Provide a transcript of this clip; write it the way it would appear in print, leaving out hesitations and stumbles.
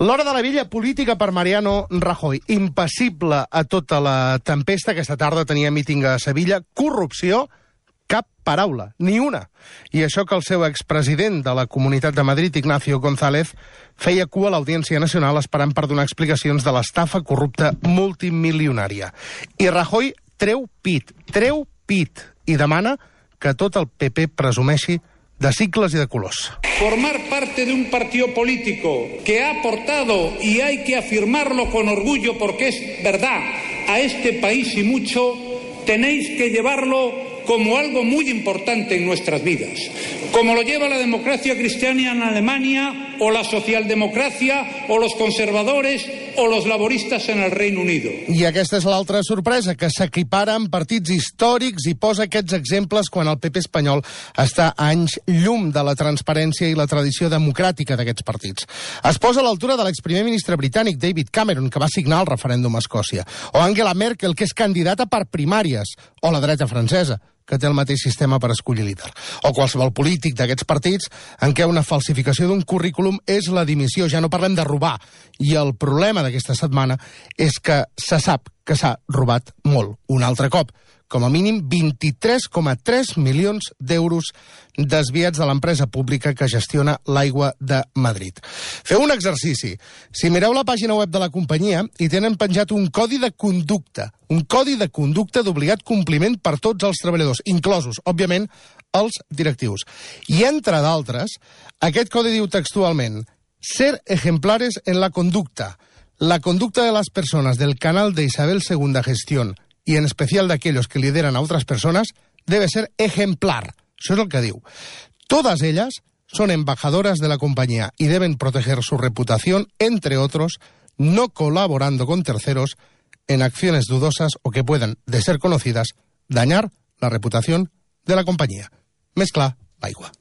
L'hora de la vella política per Mariano Rajoy. Impassible a tota la tempesta. Aquesta tarda tenia míting a Sevilla. Corrupció, cap paraula, ni una. I això que el seu expresident de la Comunitat de Madrid, Ignacio González, feia cua a l'Audiència Nacional esperant per donar explicacions de l'estafa corrupta multimilionària. I Rajoy treu pit, i demana que tot el PP presumeixi de cicles y de colors. Formar parte de un partido político que ha aportado, y hay que afirmarlo con orgullo porque es verdad, a este país y mucho, tenéis que llevarlo como algo muy importante en nuestras vidas. Como lo lleva la democracia cristiana en Alemania, o la socialdemocracia, o los conservadores, o los laboristas en el Reino Unido. I aquesta és l'altra sorpresa, que s'equipara amb partits històrics i posa aquests exemples quan el PP espanyol està a anys llum de la transparència i la tradició democràtica d'aquests partits. Es posa a l'altura de l'exprimer ministre britànic David Cameron, que va signar el referèndum a Escòcia, o Angela Merkel, que és candidata per primàries, o la dreta francesa, que té el mateix sistema per escollir líder. O qualsevol polític d'aquests partits en què una falsificació d'un currículum és la dimissió. Ja no parlem de robar. I el problema d'aquesta setmana és que se sap que s'ha robat molt. Un altre cop. Com a mínim 23,3 milions d'euros desviats de l'empresa pública que gestiona l'aigua de Madrid. Feu un exercici. Si mireu la pàgina web de la companyia, hi tenen penjat un codi de conducta d'obligat compliment per tots els treballadors, inclosos, òbviament, els directius. I, entre d'altres, aquest codi diu textualment: ser ejemplares en la conducta. La conducta de las personas del canal de Isabel II Gestión y en especial de aquellos que lideran a otras personas, debe ser ejemplar. Això és el que diu. Todas ellas son embajadoras de la compañía y deben proteger su reputación, entre otros, no colaborando con terceros en acciones dudosas o que puedan, de ser conocidas, dañar la reputación de la compañía. Més clar, l'aigua.